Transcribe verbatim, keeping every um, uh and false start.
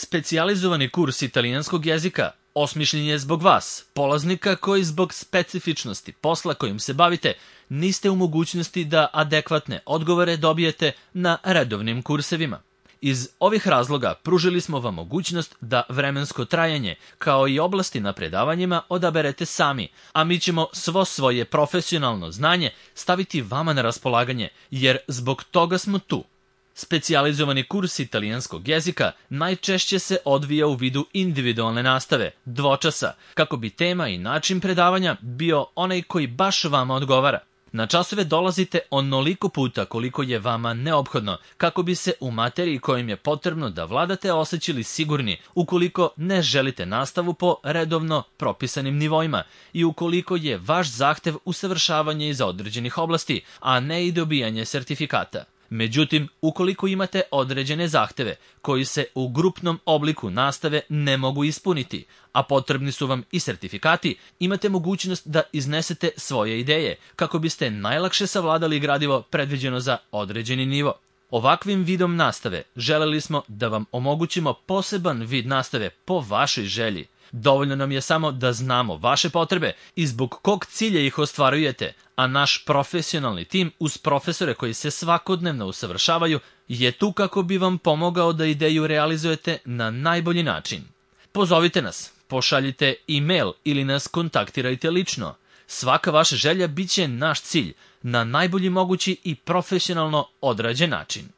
Specijalizovani kurs italijanskog jezika osmišljen je zbog vas, polaznika koji zbog specifičnosti posla kojim se bavite niste u mogućnosti da adekvatne odgovore dobijete na redovnim kursevima. Iz ovih razloga pružili smo vam mogućnost da vremensko trajanje, kao i oblasti na predavanjima, odaberete sami, a mi ćemo svo svoje profesionalno znanje staviti vama na raspolaganje, jer zbog toga smo tu. Specijalizovani kurs italijanskog jezika najčešće se odvija u vidu individualne nastave, dvočasa, kako bi tema i način predavanja bio onaj koji baš vama odgovara. Na časove dolazite onoliko puta koliko je vama neophodno, kako bi se u materiji kojim je potrebno da vladate osjećali sigurni, ukoliko ne želite nastavu po redovno propisanim nivoima i ukoliko je vaš zahtev usavršavanje iz određenih oblasti, a ne i dobijanje sertifikata. Međutim, ukoliko imate određene zahteve koji se u grupnom obliku nastave ne mogu ispuniti, a potrebni su vam i sertifikati, imate mogućnost da iznesete svoje ideje kako biste najlakše savladali gradivo predviđeno za određeni nivo. Ovakvim vidom nastave želeli smo da vam omogućimo poseban vid nastave po vašoj želji. Dovoljno nam je samo da znamo vaše potrebe i zbog kog cilja ih ostvarujete, a naš profesionalni tim uz profesore koji se svakodnevno usavršavaju je tu kako bi vam pomogao da ideju realizujete na najbolji način. Pozovite nas, pošaljite e-mail ili nas kontaktirajte lično. Svaka vaša želja bit će naš cilj na najbolji mogući i profesionalno odrađen način.